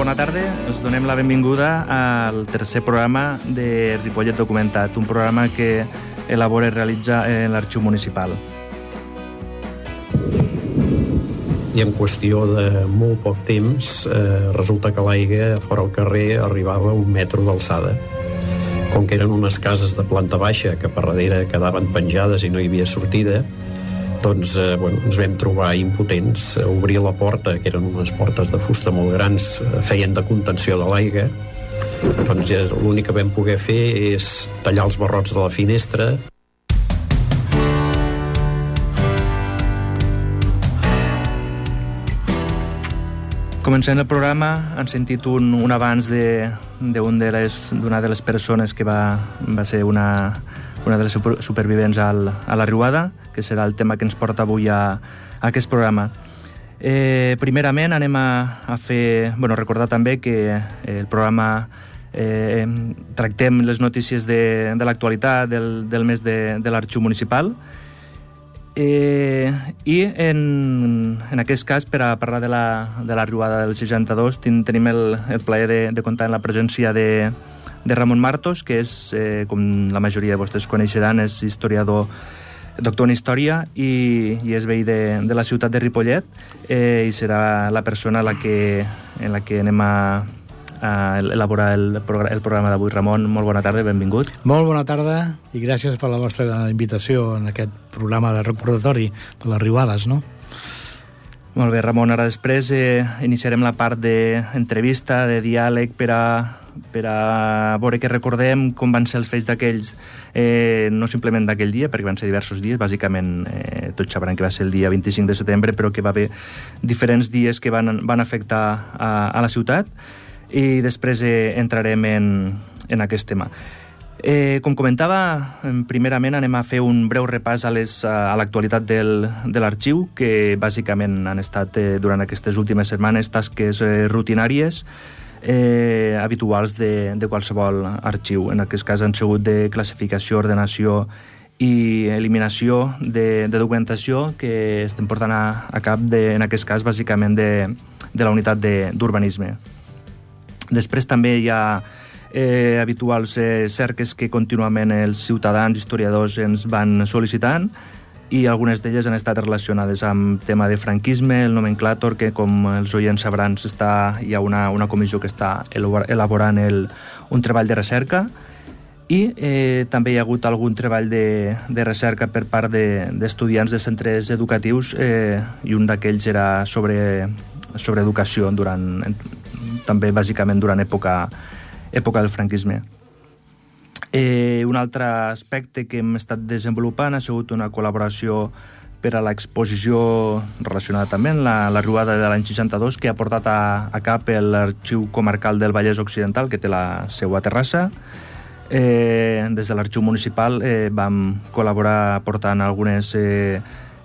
bona tarda. Us donem la benvinguda al tercer programa de Ripollet Documentat, un programa que elabora i realitza l'Arxiu Municipal. I en qüestió de molt poc temps resulta que l'aigua fora al carrer arribava a 1 metre d'alçada. Com que eren unes cases de planta baixa que per darrere quedaven penjades i no hi havia sortida, doncs ens vam trobar impotents a obrir la porta, que eren unes portes de fusta molt grans, feien de contenció de l'aigua. Doncs l'únic que vam poder fer és tallar els barrots de la finestra. Començant el programa, han sentit un avanç d'una de les persones que va ser una de les supervivents a la riuada, que serà el tema que ens porta avui a aquest programa. Primerament anem a fer... recordar també que el programa tractem les notícies de l'actualitat del mes de l'Arxiu Municipal, i en aquest cas, per a parlar de la riuada del 62, tenim el plaer de comptar amb la presència de Ramon Martos, que és, com la majoria de vostès coneixeran, és historiador, doctor en Història i és veí de la ciutat de Ripollet, i serà la persona en la que anem a elaborar el programa d'avui. Ramon, molt bona tarda, benvingut. Molt bona tarda i gràcies per la vostra invitació en aquest programa de recordatori de les riuades, no? Molt bé, Ramon, ara després iniciarem la part d'entrevista, de diàleg, per a veure que recordem com van ser els fets d'aquells, no simplement d'aquell dia, perquè van ser diversos dies, bàsicament tots sabran que va ser el dia 25 de setembre, però que va haver diferents dies que van afectar a la ciutat, i després entrarem en aquest tema. Com comentava, primerament anem a fer un breu repàs a l'actualitat de l'arxiu, que bàsicament han estat durant aquestes últimes setmanes tasques rutinàries habituals de qualsevol arxiu. En aquest cas han sigut de classificació, ordenació i eliminació de documentació que estem portant a cap, en aquest cas, bàsicament de la unitat d'urbanisme. Després també hi ha habituals cerques que contínuament els ciutadans, historiadors, ens van sol·licitant, i algunes d'elles han estat relacionades amb tema de franquisme, el nomenclàtor, que com els oients sabran hi ha una comissió que està elaborant un treball de recerca, i també hi ha hagut algun treball de recerca per part d'estudiants de centres educatius, i un d'aquells era sobre educació, també bàsicament durant època del franquisme. Un altre aspecte que hem estat desenvolupant ha sigut una col·laboració per a l'exposició relacionada també amb la riuada de l'any 62, que ha portat a cap l'Arxiu Comarcal del Vallès Occidental, que té la seu a Terrassa. Des de l'Arxiu Municipal vam col·laborar portant algunes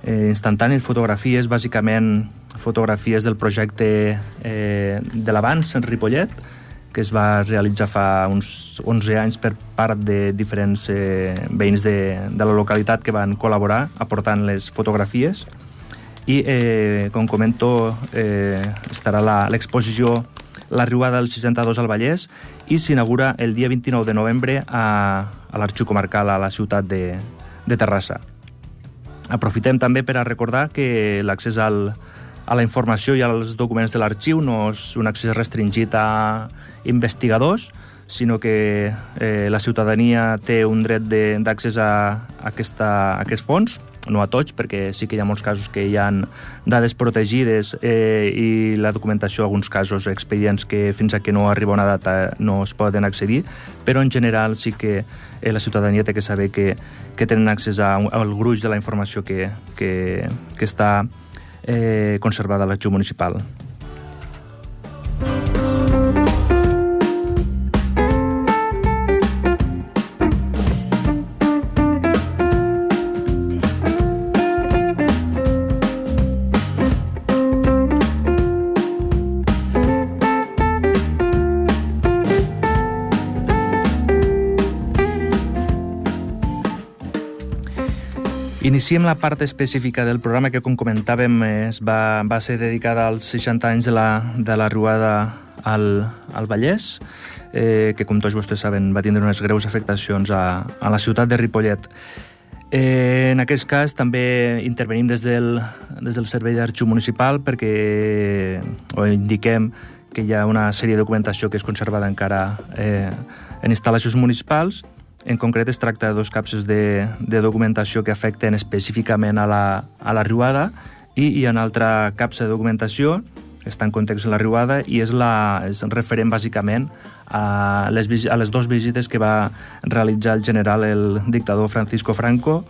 instantànies, fotografies, bàsicament fotografies del projecte de l'Avanç en Ripollet, que es va realitzar fa uns 11 anys per part de diferents veïns de la localitat que van col·laborar aportant les fotografies. I, com comento, estarà l'exposició La riuada del 62 al Vallès, i s'inaugura el dia 29 de novembre a l'Arxiu Comarcal a la ciutat de Terrassa. Aprofitem també per a recordar que l'accés a la informació i als documents de l'arxiu no és un accés restringit a investigadors, sinó que la ciutadania té un dret d'accés a aquests fons, no a tots, perquè sí que hi ha molts casos que hi ha dades protegides i la documentació, alguns casos, expedients que fins a que no arriba una data no es poden accedir, però en general sí que la ciutadania té que saber que tenen accés al gruix de la informació que està conservada a l'Arxiu Municipal. Iniciem la part específica del programa que, com comentàvem, va ser dedicada als 60 anys de la riuada al Vallès, que, com tots vostès saben, va tindre unes greus afectacions a la ciutat de Ripollet. En aquest cas també intervenim des del Servei d'Arxiu Municipal perquè indiquem que hi ha una sèrie de documentació que és conservada encara en instal·lacions municipals. En concret es tracta de dos capses de documentació que afecten específicament a la riuada i hi ha una altra capsa de documentació que està en context de la riuada i és referent bàsicament a les dues visites que va realitzar el general, el dictador Francisco Franco,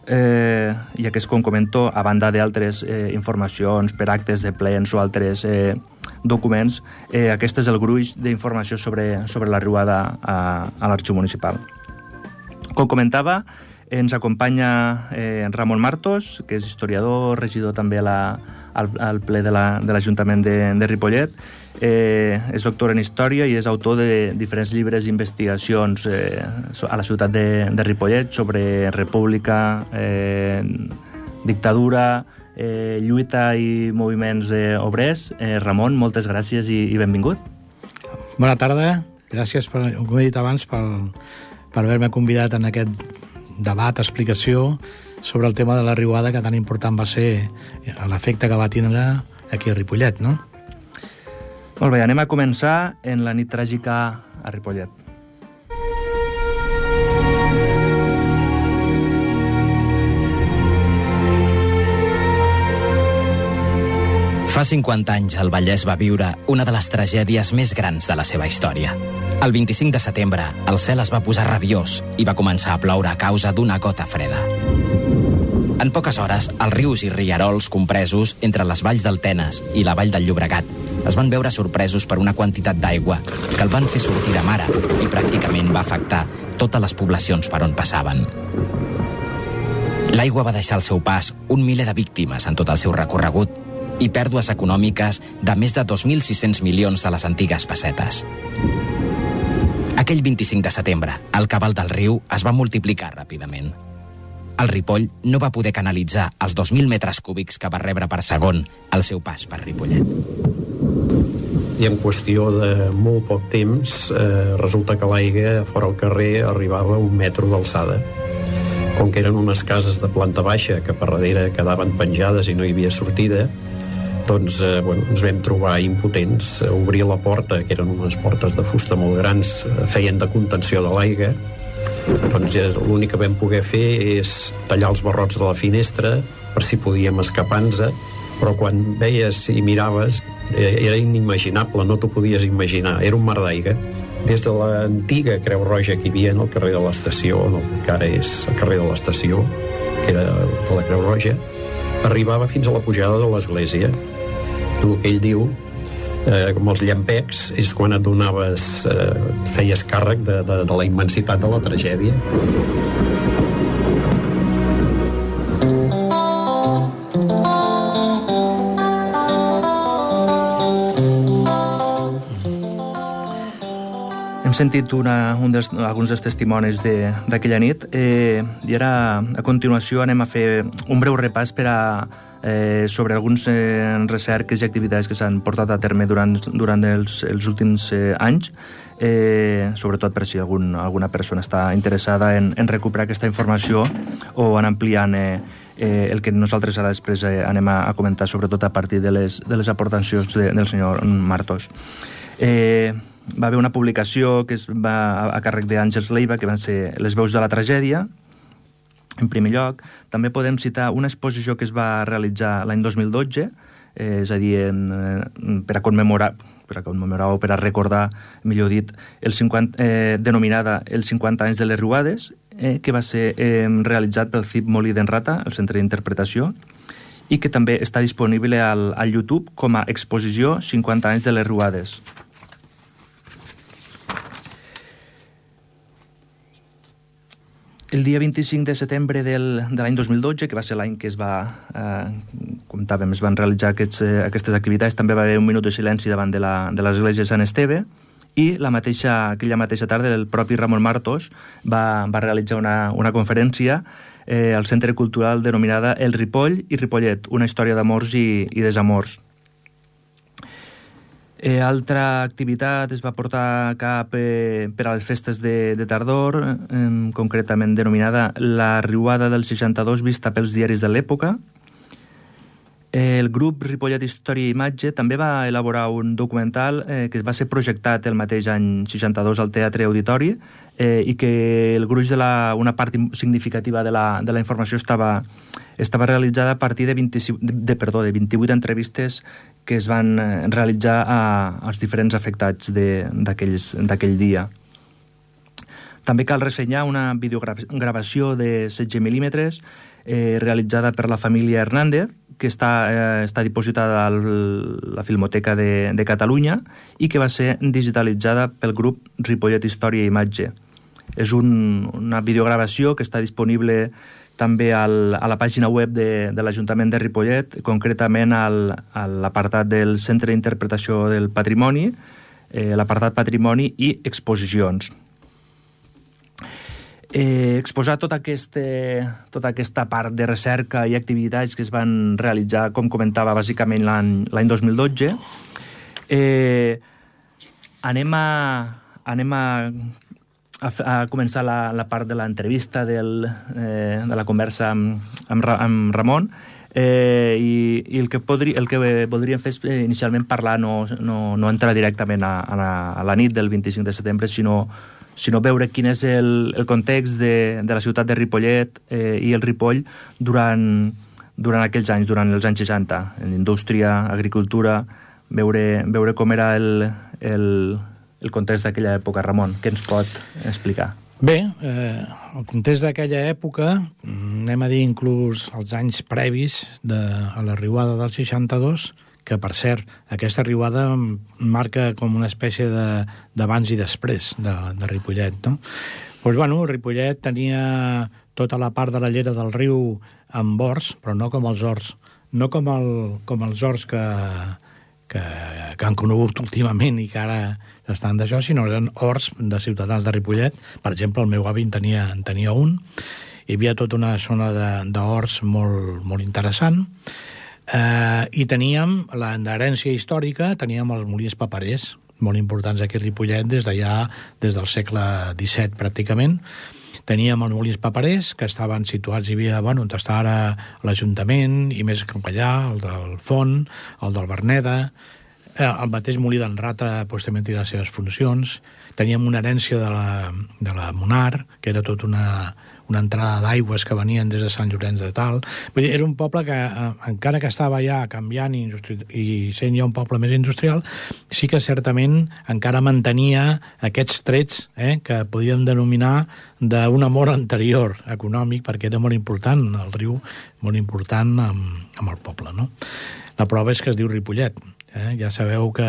i aquest, com comento, a banda d'altres informacions per actes de plens o altres documents, aquest és el gruix d'informació sobre la riuada a l'Arxiu Municipal. Com comentava, ens acompanya Ramon Martos, que és historiador, regidor també al ple de l'Ajuntament de Ripollet. És doctor en Història i és autor de diferents llibres i investigacions a la ciutat de Ripollet sobre república, dictadura, lluita i moviments obrers. Ramon, moltes gràcies i benvingut. Bona tarda. Gràcies, com he dit abans, per haver-me convidat en aquest debat, explicació sobre el tema de la riuada, que tan important va ser l'efecte que va tindre aquí a Ripollet, no? Molt bé, anem a començar en la nit tràgica a Ripollet. Fa 50 anys el Vallès va viure una de les tragèdies més grans de la seva història. El 25 de setembre, el cel es va posar rabiós i va començar a ploure a causa d'una gota freda. En poques hores, els rius i rierols compresos entre les valls del Tenes i la vall del Llobregat es van veure sorpresos per una quantitat d'aigua que el van fer sortir de mare i pràcticament va afectar totes les poblacions per on passaven. L'aigua va deixar al seu pas un miler de víctimes en tot el seu recorregut i pèrdues econòmiques de més de 2.600 milions de les antigues pessetes. Aquell 25 de setembre, el cabal del riu es va multiplicar ràpidament. El Ripoll no va poder canalitzar els 2.000 metres cúbics que va rebre per segon al seu pas per Ripollet. I en qüestió de molt poc temps resulta que l'aigua fora al carrer arribava a 1 metro d'alçada. Com que eren unes cases de planta baixa que per darrere quedaven penjades i no hi havia sortida, doncs ens vam trobar impotents. Obrir la porta, que eren unes portes de fusta molt grans, feien de contenció de l'aigua. Doncs l'únic que vam poder fer és tallar els barrots de la finestra per si podíem escapar-nos, però quan veies i miraves era inimaginable, no t'ho podies imaginar, era un mar d'aigua. Des de l'antiga Creu Roja que hi havia en el carrer de l'Estació, que ara és el carrer de l'Estació, que era de la Creu Roja, arribava fins a la pujada de l'església. El que ell diu, com els llampecs, és quan et donaves, feies càrrec de la immensitat de la tragèdia. Hem sentit alguns dels testimonis d'aquella nit i ara, a continuació, anem a fer un breu repàs sobre alguns recerques i activitats que s'han portat a terme durant els últims anys, sobretot per si alguna persona està interessada en recuperar aquesta informació o en ampliant el que nosaltres ara després anem a comentar, sobretot a partir de les aportacions del senyor Martos. Va haver una publicació que va a càrrec d'Àngels Leiva, que van ser Les veus de la tragèdia, en primer lloc. També podem citar una exposició que es va realitzar l'any 2012, és a dir, per a commemorar o per a recordar, millor dit, denominada Els 50 anys de les Riuades, que va ser realitzat pel CIP Molí d'en Rata, el Centre d'Interpretació, i que també està disponible al YouTube com a exposició 50 anys de les Riuades. El dia 25 de setembre de l'any 2012, que va ser l'any que es van realitzar aquestes activitats, també va haver un minut de silenci davant de l'església de Sant Esteve, i aquella mateixa tarda el propi Ramon Martos va realitzar una conferència al Centre Cultural denominada El Ripoll i Ripollet, una història d'amors i desamors. Altra activitat es va portar a cap per a les festes de tardor, concretament denominada la Riuada del 62 vista pels diaris de l'època. El grup Ripollet Història i Imatge també va elaborar un documental que va ser projectat el mateix any 62 al Teatre Auditori i que el gruix una part significativa de la informació estava realitzada a partir de 28 entrevistes que es van realitzar als diferents afectats d'aquell dia. També cal ressenyar una videogravació de 16 mil·límetres realitzada per la família Hernández, que està dipositada a la Filmoteca de Catalunya i que va ser digitalitzada pel grup Ripollet Història i Imatge. És una videogravació que està disponible també a la pàgina web de l'Ajuntament de Ripollet, concretament a l'apartat del Centre d'Interpretació del Patrimoni, l'apartat Patrimoni i Exposicions. Exposar tota aquesta part de recerca i activitats que es van realitzar, com comentava, bàsicament l'any 2012. Anem a començar la part de l'entrevista, de la conversa amb Ramon, i el que voldríem fer és inicialment parlar, no entrar directament a la nit del 25 de setembre, sinó veure quin és el context de la ciutat de Ripollet i el Ripoll durant aquells anys, durant els anys 60, en indústria, agricultura, veure com era el context d'aquella època. Ramon, què ens pot explicar? Bé, el context d'aquella època, anem a dir inclús els anys previs a la riuada del 62, que, per cert, aquesta riuada marca com una espècie d'abans i després de Ripollet, no? Doncs, bueno, Ripollet tenia tota la part de la llera del riu amb horts, però no com els horts. No com els horts que han conegut últimament i que ara estan d'això, sinó eren horts de ciutadans de Ripollet. Per exemple, el meu avi en tenia un. Hi havia tota una zona d'horts molt, molt interessant. I teníem l'herència històrica, teníem els molins paperers, molt importants aquí a Ripollet des del segle XVII pràcticament. Teníem els molins paperers, que estaven situats, hi havia, on està ara l'Ajuntament, i més cap allà, el del Font, el del Verneda, el mateix molí d'en Rata també té les seves funcions. Teníem una herència de la Monar, que era tota una entrada d'aigües que venien des de Sant Llorenç de Tal. Vull dir, era un poble que, encara que estava ja canviant i sent ja un poble més industrial, sí que certament encara mantenia aquests trets que podíem denominar d'un amor anterior econòmic, perquè era molt important, el riu, molt important amb el poble, no? La prova és que es diu Ripollet. Ja sabeu que,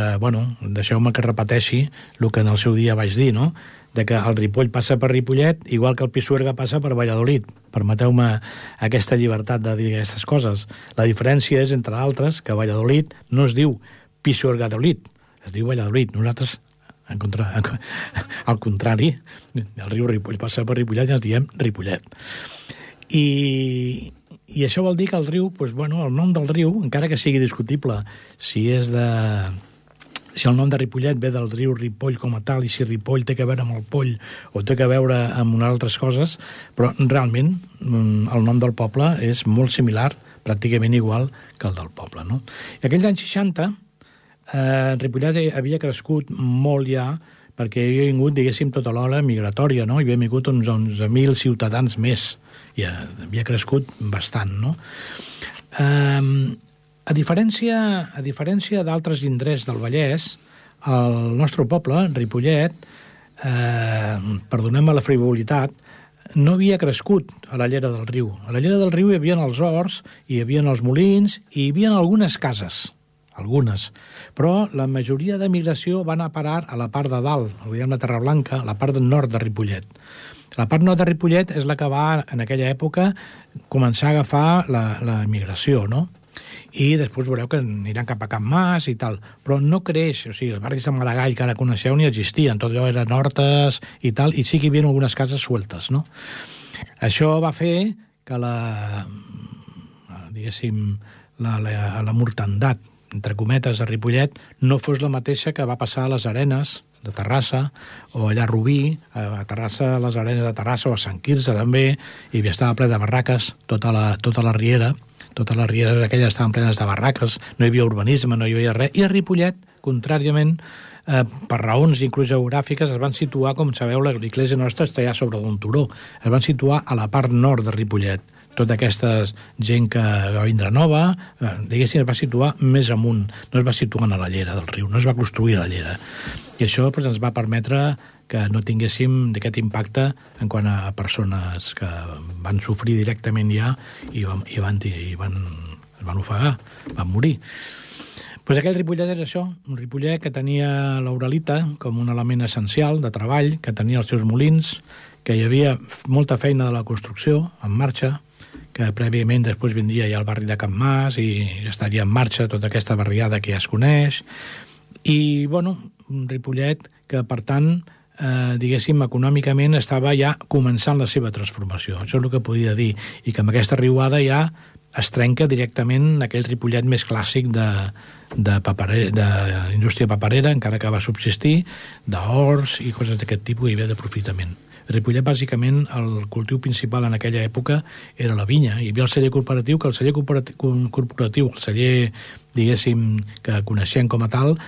deixeu-me que repeteixi el que en el seu dia vaig dir, no?, de que el Ripoll passa per Ripollet igual que el Pisuerga passa per Valladolid. Permeteu-me aquesta llibertat de dir aquestes coses. La diferència és, entre altres, que Valladolid no es diu Pisuergadolid, es diu Valladolid. Nosaltres, al contrari, el riu Ripoll passa per Ripollet i ens diem Ripollet. I això vol dir que el riu, el nom del riu, encara que sigui discutible si el nom de Ripollet ve del riu Ripoll com a tal, i si Ripoll té que veure amb el poll o té que veure amb unes altres coses, però realment el nom del poble és molt similar, pràcticament igual que el del poble, no? I aquells anys 60, Ripollet havia crescut molt ja, perquè havia vingut, diguéssim, tota l'ola migratòria, no? Hi havia vingut uns 11.000 ciutadans més, i havia crescut bastant, no? A diferència d'altres indrets del Vallès, el nostre poble, Ripollet, perdoneu-me la frivolitat, no havia crescut a la llera del riu. A la llera del riu hi havia els horts, hi havia els molins i hi havia algunes cases, algunes. Però la majoria de migració va anar a parar a la part de dalt, la Terra Blanca, a la part del nord de Ripollet. La part nord de Ripollet és la que va, en aquella època, començar a agafar la migració, no? I després veureu que aniran cap a Can Mas i tal, però no creix, o sigui, els barris de Maragall que ara coneixeu ni existien, tot allò eren hortes i tal, i sí que hi havia algunes cases sueltes, no? Això va fer que la mortandat entre cometes, a Ripollet, no fos la mateixa que va passar a les Arenes de Terrassa, o allà a Rubí, a Terrassa, a les Arenes de Terrassa, o a Sant Quirze també, i estava ple de barraques, tota la riera, totes les rieres aquelles estaven plenes de barraques, no hi havia urbanisme, no hi havia res, i a Ripollet, contràriament, per raons inclús geogràfiques, es van situar, com sabeu, l'església nostra està ja sobre un turó, es van situar a la part nord de Ripollet. Tota aquesta gent que va vindre nova, diguéssim, es va situar més amunt, no es va situar a la llera del riu, no es va construir a la llera. I això doncs, ens va permetre que no tinguéssim d'aquest impacte en quant a persones que van sofrir directament ja i es van ofegar, van morir. Pues aquell Ripollet era això, un Ripollet que tenia l'Uralita com un element essencial de treball, que tenia els seus molins, que hi havia molta feina de la construcció en marxa, que prèviament després vindria ja el barri de Can Mas i estaria en marxa tota aquesta barriada que ja es coneix. I, bueno, un Ripollet que, per tant, diguéssim, econòmicament estava ja començant la seva transformació. Això és el que podia dir. I que amb aquesta riuada ja es trenca directament aquell Ripollet més clàssic d'indústria paperera, encara que va subsistir, d'horts i coses d'aquest tipus, i bé d'aprofitament. Ripollet, bàsicament, el cultiu principal en aquella època era la vinya. Hi havia el celler corporatiu, que el celler corporatiu, el celler, diguéssim, que coneixem com a tal,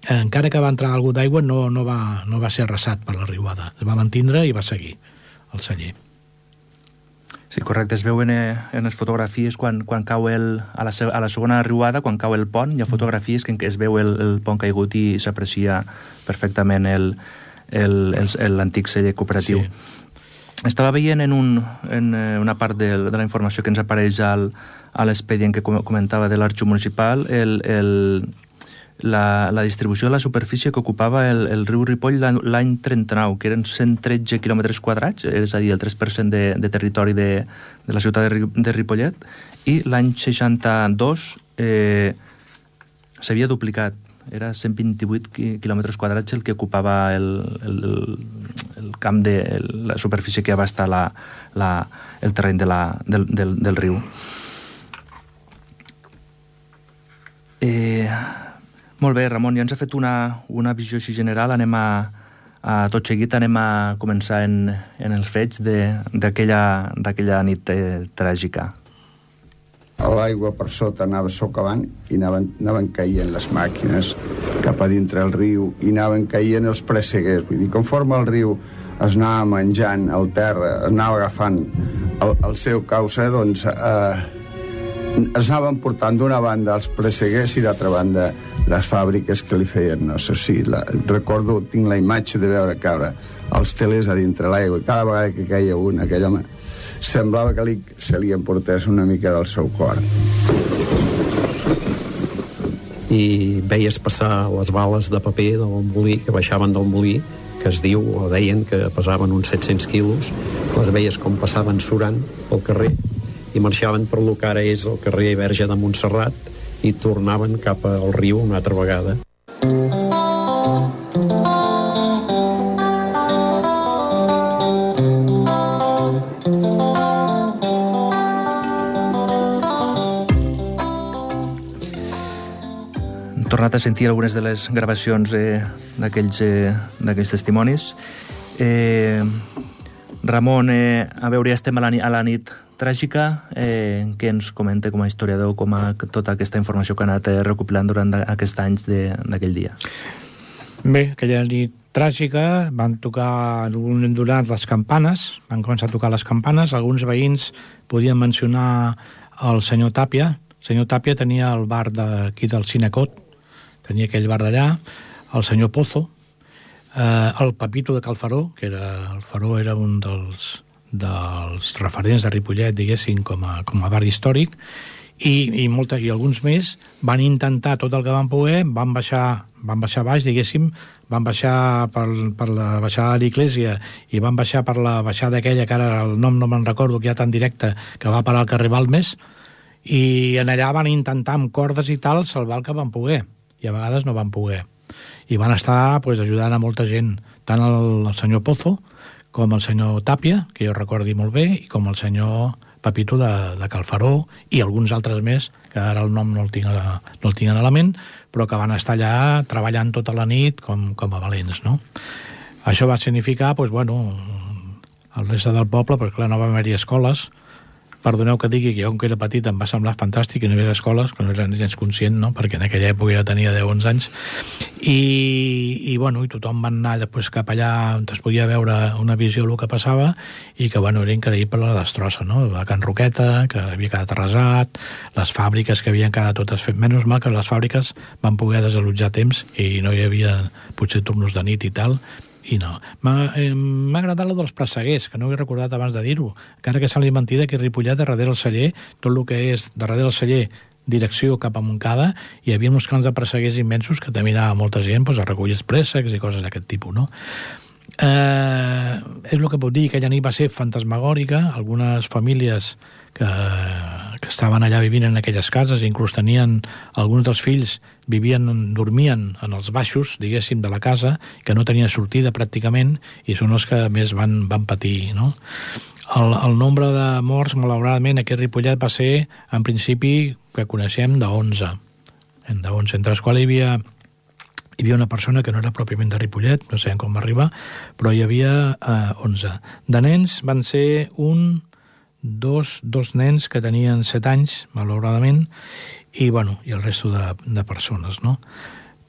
encara que va entrar algú d'aigua, no va ser arrasat per la riuada. Es va mantindre i va seguir el celler. Sí, correcte. Es veuen en les fotografies quan cau a la segona riuada, quan cau el pont, hi ha fotografies que es veu el pont caigut i s'aprecia perfectament l'antic celler cooperatiu. Sí. Estava veient en una part de la informació que ens apareix a l'expedient que comentava de l'Arxiu Municipal, la distribució de la superfície que ocupava el riu Ripoll l'any 39, que eren 113 quilòmetres quadrats, és a dir, el 3% de territori de la ciutat de Ripollet, i l'any 62 s'havia duplicat. Era 128 quilòmetres quadrats el que ocupava el camp de la superfície que abasta el terreny del riu. Molt bé, Ramon, ja ens ha fet una visió així general. Anem tot seguit anem a començar en els fets d'aquella nit tràgica. L'aigua per sota anava socavant i anaven caient les màquines cap a dintre el riu i anaven caient els presseguers. Vull dir, conforme el riu es anava menjant el terra, es anava agafant el seu causa, doncs es anaven portant d'una banda els presseguers i d'altra banda les fàbriques que li feien. No sé si recordo, tinc la imatge de veure caure els telers a dintre l'aigua i cada vegada que caia un, aquell home semblava que se li emportés una mica del seu cor. I veies passar les bales de paper del molí, que baixaven del molí, que es diu, o deien que pesaven uns 700 quilos, les veies com passaven surant pel carrer i marxaven per lo que ara és el carrer Verge de Montserrat i tornaven cap al riu una altra vegada. Tornat a sentir algunes de les gravacions d'aquells testimonis. Ramon, a veure, ja estem a la nit tràgica. Què ens comenta com a historiador, com a tota aquesta informació que ha anat recopilant durant aquests anys d'aquell dia? Bé, aquella nit tràgica van donar les campanes, van començar a tocar les campanes. Alguns veïns podien mencionar el senyor Tàpia. El senyor Tàpia tenia el bar d'aquí del Cinecot, tenia aquell bar d'allà, el senyor Pozo, el Pepito de Calfaró, que el Faró era un dels referents de Ripollet, diguéssim, com a bar històric, i alguns més van intentar tot el que van poder, van baixar baix, diguéssim, van baixar per la baixada de l'Iglésia i van baixar per la baixada aquella, que ara el nom no me'n recordo, que hi ha tan directe, que va parar al carrer Balmes, i en allà van intentar amb cordes i tal salvar el que van poder, i a vegades no van poder. I van estar ajudant a molta gent, tant el senyor Pozo com el senyor Tàpia, que jo recordi molt bé, i com el senyor Pepito de Calfaró i alguns altres més, que ara el nom no el tinc a la ment, però que van estar allà treballant tota la nit com a valents, no? Això va significar, doncs, bueno, el reste del poble, perquè clar, no va haver-hi escoles. Perdoneu que digui que jo, com que era petit, em va semblar fantàstic que no hi hagués escoles, que no era gens conscient, no? Perquè en aquella època ja tenia 10-11 anys, i tothom va anar després cap allà on es podia veure una visió del que passava, i que, bueno, era increïble la destrossa, no? La Can Roqueta, que havia quedat arrasat, les fàbriques que havien quedat totes fet. Menys mal que les fàbriques van poder desallotjar a temps i no hi havia, potser, turnos de nit i tal, i no. M'ha agradat la dels presseguers, que no ho he recordat abans de dir-ho, encara que sembli mentida que a Ripollet, darrere el celler, tot el que és darrere el celler, direcció cap a Montcada, hi havia uns camps de presseguers immensos que també anava molta gent a recollir préssecs i coses d'aquest tipus, no? És el que puc dir, que aquella nit va ser fantasmagòrica. Algunes famílies que estaven allà vivint en aquelles cases, inclús tenien alguns dels fills dormien en els baixos, diguéssim, de la casa, que no tenien sortida pràcticament, i són els que més van patir, no? El nombre de morts, malauradament, aquí a Ripollet va ser, en principi, que coneixem, d'11, entre els quals hi havia una persona que no era pròpiament de Ripollet, no sabem com va arribar, però hi havia 11. De nens van ser dos nens que tenien 7 anys, malauradament, i el resto de persones, no?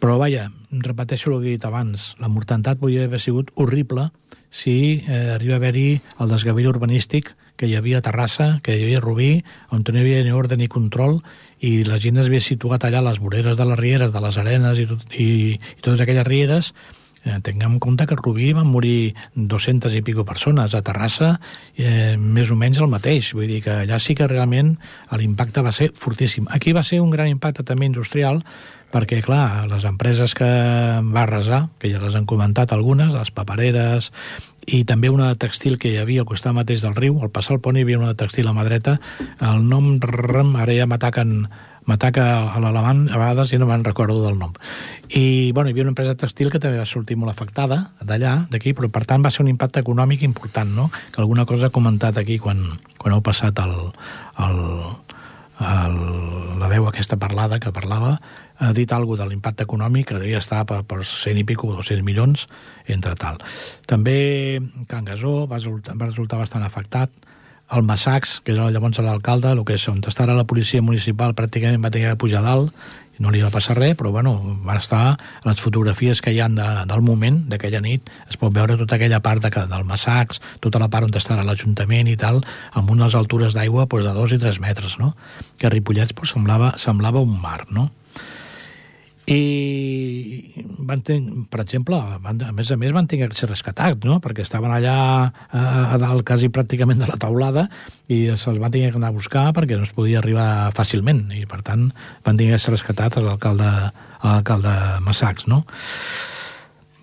Però, vaja, repeteixo el que he dit abans, la mortalitat podria haver sigut horrible si arriba a haver-hi el desgavell urbanístic que hi havia a Terrassa, que hi havia a Rubí, on no hi havia ni ordre ni control, i la gent es havia situat allà a les voreres de les rieres, de les arenes i totes aquelles rieres. Tinguem en compte que a Rubí van morir 200 i pico persones, a Terrassa més o menys el mateix, vull dir que allà sí que realment l'impacte va ser fortíssim. Aquí va ser un gran impacte també industrial, perquè, clar, les empreses que va arrasar, que ja les han comentat algunes, les papereres, i també una de textil que hi havia al costat mateix del riu, al passar el pont hi havia una de textil a mà dreta, el nom, ara ja m'ataca a l'alemany, a vegades ja no me'n recordo del nom. I, hi havia una empresa textil que també va sortir molt afectada d'allà, d'aquí, però per tant va ser un impacte econòmic important, no? Que alguna cosa he comentat aquí quan heu passat la veu aquesta parlada que parlava, ha dit alguna cosa de l'impacte econòmic, que devia estar per 100 i pico, 200 milions, entre tal. També Can Gasó va resultar bastant afectat. El Massacs, que era llavors l'alcalde, el que és on estava la policia municipal, pràcticament va tenir que pujar dalt, no li va passar res, però van estar les fotografies que hi ha del moment, d'aquella nit, es pot veure tota aquella part del Massacs, tota la part on estarà l'Ajuntament i tal, amb unes altures d'aigua de 2 i 3 metres, no? Que a Ripollet semblava un mar, no? I per exemple, a més van tenir que ser rescatats, no? Perquè estaven allà a dalt quasi pràcticament de la teulada i se'ls va tenir que anar a buscar perquè no es podia arribar fàcilment i per tant van tenir que ser rescatats l'alcalde Massacs, no?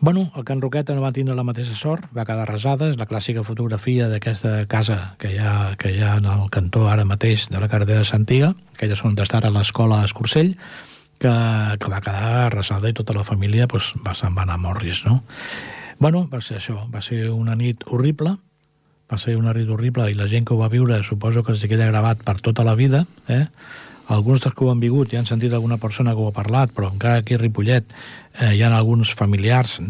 El Can Roqueta no va tindre la mateixa sort, va quedar arrasada, és la clàssica fotografia d'aquesta casa que hi ha en el cantó ara mateix de la carretera de Santiga, que ja són on està l'escola Escursell, que va quedar arrasada i tota la família se'n va anar a Morris, no? Va ser això, va ser una nit horrible, i la gent que ho va viure suposo que es queda gravat per tota la vida, Alguns dels que ho han vingut ja han sentit alguna persona que ho ha parlat, però encara aquí a Ripollet hi ha alguns familiars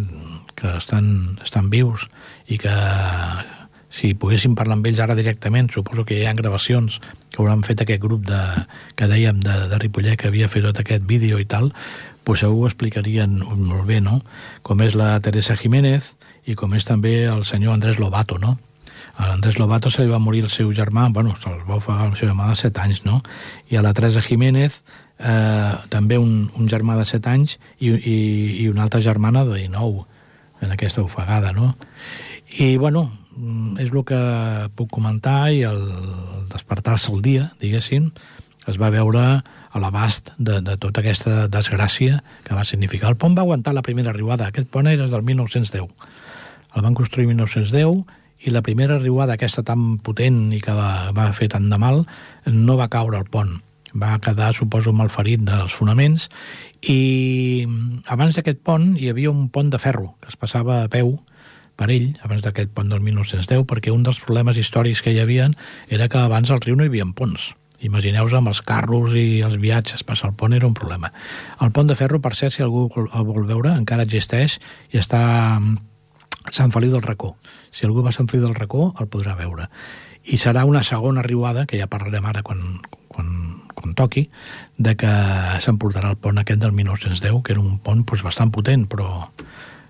que estan vius i que si poguéssim parlar amb ells ara directament, suposo que hi ha gravacions que hauran fet aquest grup que dèiem de Ripollet que havia fet tot aquest vídeo i tal, doncs segur ho explicarien molt bé, no? Com és la Teresa Jiménez i com és també el senyor Andrés Lobato, no? A l'Andrés Lobato se li va morir el seu germà, se'l va ofegar el seu germà de 7 anys, no? I a la Teresa Jiménez també un germà de 7 anys i una altra germana de 19 en aquesta ofegada, no? I, és el que puc comentar i el despertar-se el dia, diguéssim, es va veure a l'abast de tota aquesta desgràcia que va significar. El pont va aguantar la primera riuada. Aquest pont era del 1910. El van construir el 1910 i la primera riuada aquesta tan potent i que va fer tant de mal no va caure al pont. Va quedar, suposo, malferit dels fonaments i abans d'aquest pont hi havia un pont de ferro que es passava a peu per ell, abans d'aquest pont del 1910, perquè un dels problemes històrics que hi havia era que abans al riu no hi havia ponts. Imagineu-vos amb els carros i els viatges, passar el pont era un problema. El pont de ferro, per cert, si algú el vol veure, encara existeix i està a Sant Feliu del Racó. Si algú va a Sant Feliu del Racó, el podrà veure. I serà una segona riuada, que ja parlarem ara quan toqui, de que s'emportarà el pont aquest del 1910, que era un pont bastant potent, però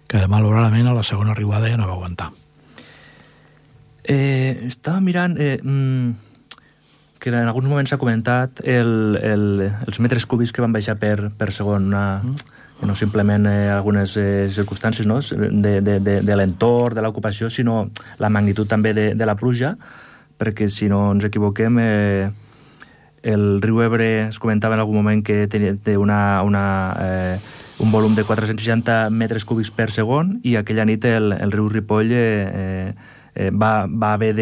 que malauradament a la segona riuada ja no va aguantar. Estava mirant... que en alguns moments s'ha comentat els metres cúbics que van baixar per segon, no simplement algunes circumstàncies, no? de l'entorn, de l'ocupació, sinó la magnitud també de la pluja, perquè si no ens equivoquem, el riu Ebre es comentava en algun moment que té un volum de 460 metres cúbics per segon, i aquella nit el riu Ripoll va haver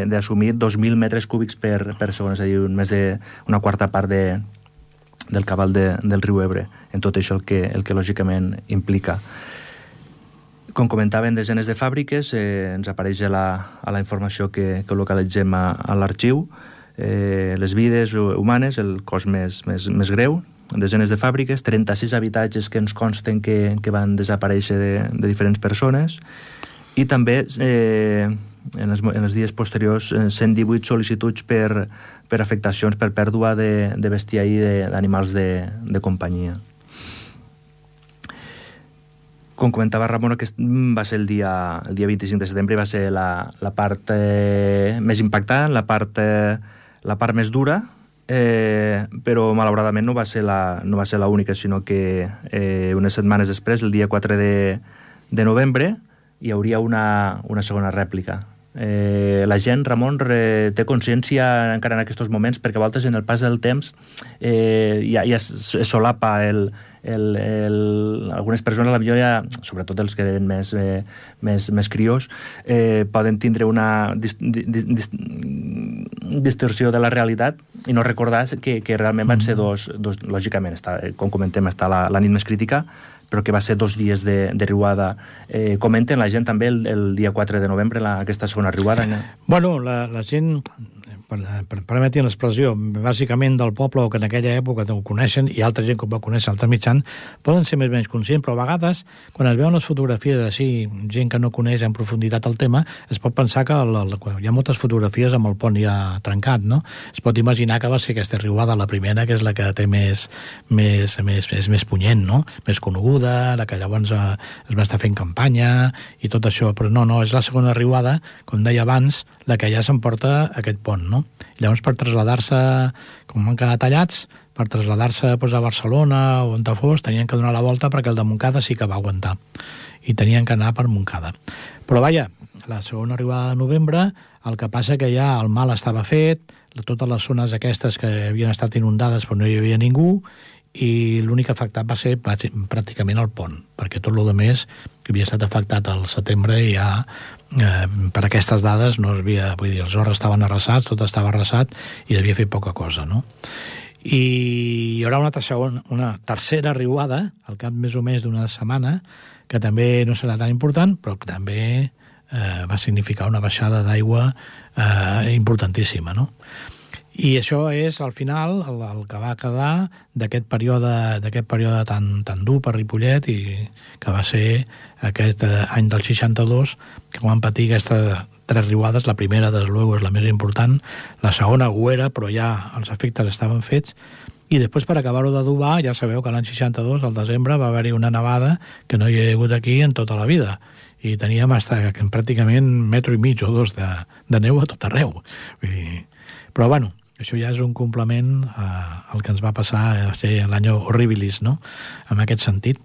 d'assumir 2.000 metres cúbics per segon, és a dir, més d'una quarta part del cabal del riu Ebre, en tot això el que lògicament implica. Com comentaven, desenes de fàbriques, ens apareix a la informació que localitzem a l'arxiu, les vides humanes, el cos més greu, desenes de fàbriques, 36 habitatges que ens consten que van desaparèixer de diferents persones, i també en els dies posteriors 118 sol·licituds per afectacions per pèrdua de bestiar i d'animals de companyia. Com comentava Ramon, aquest va ser el dia 25 de setembre, va ser la part més impactant, la part més dura, però malauradament no va ser la única, sinó que unes setmanes després, el dia 4 de novembre, hi hauria una segona rèplica. La gent, Ramon, té consciència encara en aquests moments, perquè a voltes en el pas del temps ja es solapa algunes persones, potser sobretot els que eren més criós, poden tindre una distorsió de la realitat i no recordar que realment van ser dos lògicament, com comentem, està la nit més crítica, però que va ser 2 dies de riuada. Comenten la gent també el dia 4 de novembre aquesta segona riuada? Bueno, la gent, permetin l'expressió, bàsicament del poble, o que en aquella època ho coneixen, i altra gent que ho va conèixer, altres mitjans, poden ser més o menys conscients, però a vegades, quan es veuen les fotografies així, gent que no coneix en profunditat el tema, es pot pensar que hi ha moltes fotografies amb el pont ja trencat, no? Es pot imaginar que va ser aquesta riuada la primera, que és la que té més punyent, no? Més coneguda, la que llavors es va estar fent campanya i tot això, però no, és la segona riuada, com deia abans, la que ja s'emporta aquest pont, no? Llavors, per traslladar-se, com han quedat tallats, per traslladar-se a Barcelona o on fos, tenien que donar la volta perquè el de Montcada sí que va aguantar. I tenien que anar per Montcada. Però vaja, la segona arribada de novembre, el que passa que ja el mal estava fet, totes les zones aquestes que havien estat inundades però no hi havia ningú, i l'únic afectat va ser pràcticament el pont, perquè tot el més que havia estat afectat al setembre ja per aquestes dades no es havia, vull dir, els horts estaven arrasats, tot estava arrasat i devia fer poca cosa, no? I hi haurà una tercera riuada al cap més o més d'una setmana, que també no serà tan important, però que també va significar una baixada d'aigua importantíssima, no? I això és, al final, el que va quedar d'aquest període tan dur per Ripollet, i que va ser aquest any del 62, que van patir aquestes 3 riuades. La primera, des luego, és la més important. La segona ho era, però ja els efectes estaven fets. I després, per acabar-ho d'adobar, ja sabeu que l'any 62, al desembre, va haver-hi una nevada que no hi ha hagut aquí en tota la vida. I teníem pràcticament 1,5 metres o 2 de neu a tot arreu. Però, bueno, això ja és un complement al que ens va passar a ser l'any horribilis, no?, en aquest sentit.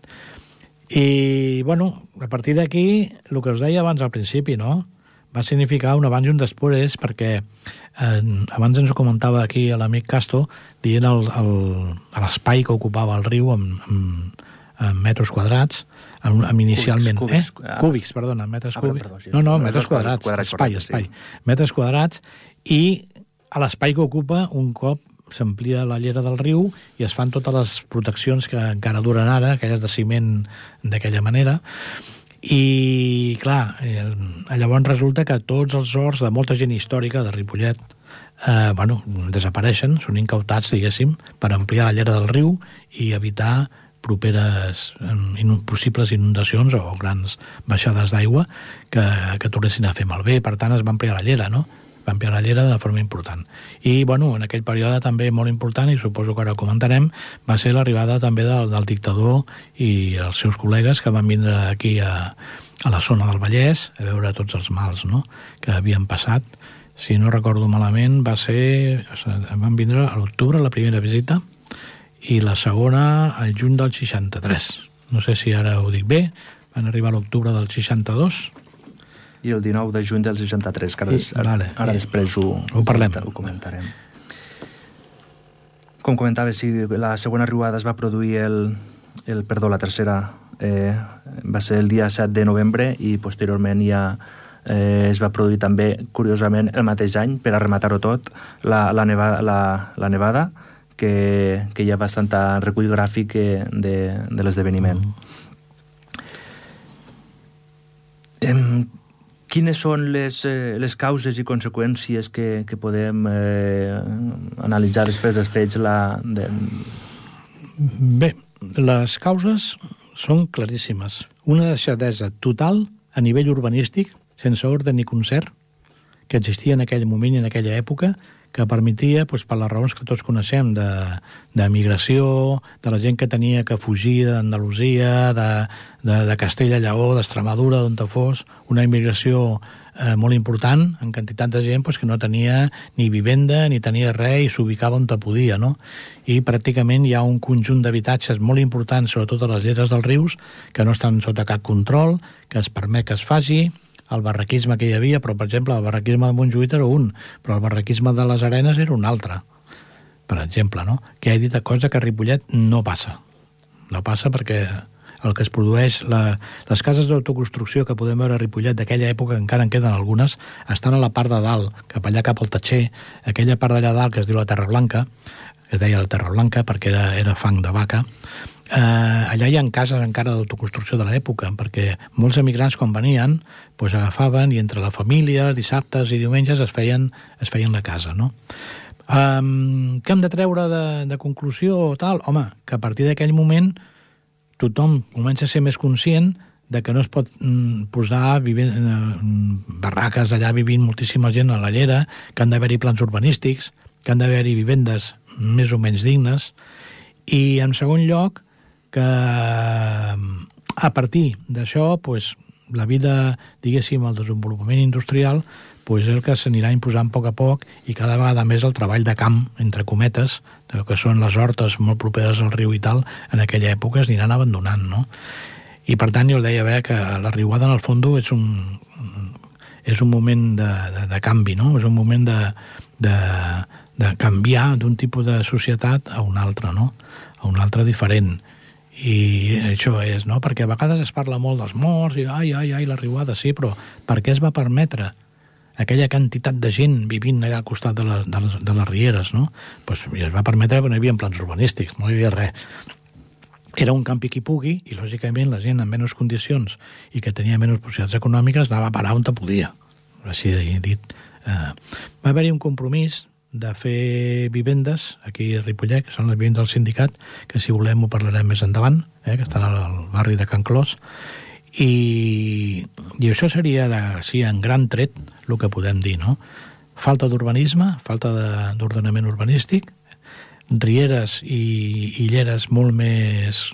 I, bueno, a partir d'aquí, el que us deia abans al principi, no?, va significar un abans i un després, perquè abans ens ho comentava aquí l'amic Casto, dient l'espai que ocupava el riu en metres quadrats, inicialment... Cúbics, perdona, metres cúbics. No, metres quadrats, espai. Metres quadrats, i a l'espai que ocupa, un cop s'amplia la llera del riu i es fan totes les proteccions que encara duren ara, aquelles de ciment d'aquella manera, I, clar, llavors resulta que tots els horts de molta gent històrica de Ripollet desapareixen, són incautats, diguéssim, per ampliar la llera del riu i evitar properes possibles inundacions o grans baixades d'aigua que tornessin a fer malbé. Per tant, es va ampliar la llera, no? Va ampliar la llera d'una forma important. I, en aquell període també molt important, i suposo que ara ho comentarem, va ser l'arribada també del dictador i els seus col·legues que van vindre aquí a la zona del Vallès a veure tots els mals, no?, que havien passat. Si no recordo malament, van vindre a l'octubre la primera visita i la segona al juny del 63. No sé si ara ho dic bé. Van arribar a l'octubre del 62 i el 19 de juny del 63, que ara després ho comentarem. Com comentava, si la segona riuada es va produir la tercera va ser el dia 7 de novembre i posteriorment ja es va produir també, curiosament, el mateix any, per a rematar-ho tot, la nevada, que hi ha bastant recull gràfic de l'esdeveniment. Quines són les causes i conseqüències que podem analitzar després dels fets? Bé, les causes són claríssimes. Una deixadesa total a nivell urbanístic, sense ordre ni concert, que existia en aquell moment i en aquella època, que permetia, per les raons que tots coneixem, de migració, de la gent que tenia que fugir d'Andalusia, de Castella, Lleó, d'Extremadura, d'on fos, una immigració molt important, en quantitat de gent que no tenia ni vivenda, ni tenia res, i s'ubicava on podia, no? I pràcticament hi ha un conjunt d'habitatges molt importants, sobretot a les lleres dels rius, que no estan sota cap control, que es permet que es faci, el barraquisme que hi havia, però, per exemple, el barraquisme de Montjuïc era un, però el barraquisme de les Arenes era un altre, per exemple, no? Que he dit cosa que a Ripollet no passa. No passa perquè el que es produeix... Les cases d'autoconstrucció que podem veure a Ripollet d'aquella època, encara en queden algunes, estan a la part de dalt, cap allà cap al Tatxer, aquella part d'allà dalt que es diu la Terra Blanca, es deia la Terra Blanca perquè era fang de vaca. Allà hi ha cases encara d'autoconstrucció de l'època, perquè molts emigrants quan venien agafaven i entre la família, dissabtes i diumenges es feien la casa, no? Què hem de treure de conclusió o tal? Home, que a partir d'aquell moment tothom comença a ser més conscient de que no es pot posar barraques allà vivint moltíssima gent a la llera, que han d'haver-hi plans urbanístics, que han d'haver-hi vivendes més o menys dignes, i en segon lloc que a partir d'això la vida, diguéssim, el desenvolupament industrial és el que s'anirà imposant a poc i cada vegada més el treball de camp, entre cometes, del que són les hortes molt properes al riu i tal, en aquella època es aniran abandonant, no? I per tant jo deia que la riuada en el fons és un moment de canvi, no? És un moment de canviar d'un tipus de societat a un altre, no? A un altre diferent. I això és, no? Perquè a vegades es parla molt dels morts i ai, la riuada, sí, però per què es va permetre aquella quantitat de gent vivint allà al costat de les rieres, no? Es va permetre perquè no hi havia plans urbanístics, no hi havia res. Era un campi qui pugui i, lògicament, la gent amb menys condicions i que tenia menys possibilitats econòmiques anava a parar on podia. Així dit. Va haver-hi un compromís de fer vivendes aquí a Ripollet, que són les vivendes del sindicat, que si volem ho parlarem més endavant, que estan al barri de Can Clos, i això seria, en gran tret, el que podem dir, no? Falta d'urbanisme, falta d'ordenament urbanístic, rieres i lleres molt més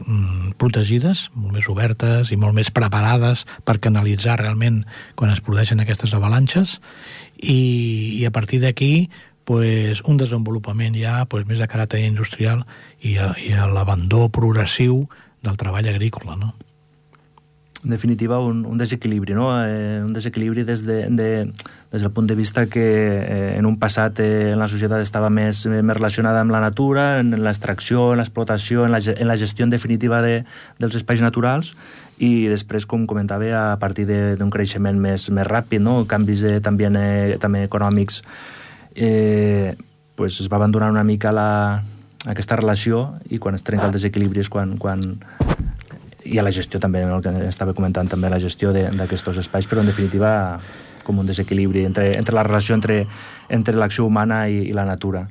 protegides, molt més obertes i molt més preparades per canalitzar realment quan es produeixen aquestes avalanxes, i a partir d'aquí un desenvolupament ja més de caràcter industrial i l'abandó progressiu del treball agrícola, no? En definitiva, un desequilibri, no? Un desequilibri des del punt de vista que en un passat la societat estava més relacionada amb la natura, en l'extracció, en l'explotació, en la gestió en definitiva dels espais naturals, i després, com comentava, a partir d'un creixement més ràpid, no? Canvis també econòmics, es va abandonar una mica aquesta relació, i quan es trenca el desequilibri és quan i a la gestió també, el que estava comentant també, la gestió d'aquests espais, però en definitiva com un desequilibri entre la relació entre l'acció humana i la natura.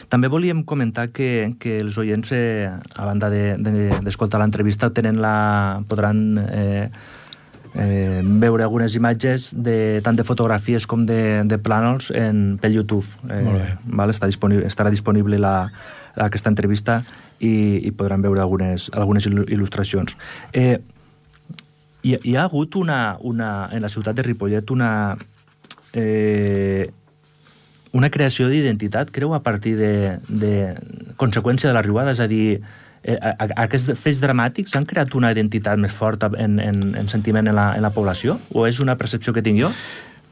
També volíem comentar que els oients, a banda d'escoltar l'entrevista, podran veure algunes imatges tant de fotografies com de plànols per YouTube. Estarà disponible aquesta entrevista i podran veure algunes il·lustracions. Hi ha hagut en la ciutat de Ripollet una creació d'identitat, creu, a partir de conseqüència de la riuada, és a dir, aquests fets dramàtics han creat una identitat més forta en sentiment en la població? O és una percepció que tinc jo?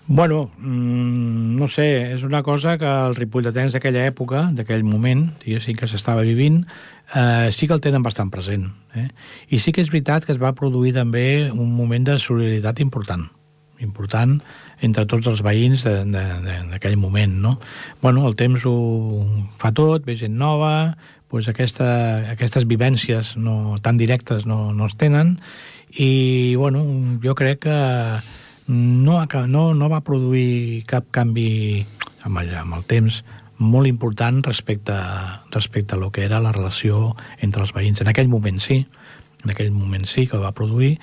Bueno, no sé, és una cosa que els ripolletens d'aquella època, d'aquell moment, diguéssim, que s'estava vivint, sí que el tenen bastant present. I sí que és veritat que es va produir també un moment de solidaritat important entre tots els veïns d'aquell moment, no? Bueno, el temps ho fa tot, ve gent nova, doncs aquestes vivències tan directes no es tenen, i bueno, jo crec que no va produir cap canvi amb el temps molt important respecte a lo que era la relació entre els veïns. En aquell moment sí que va produir,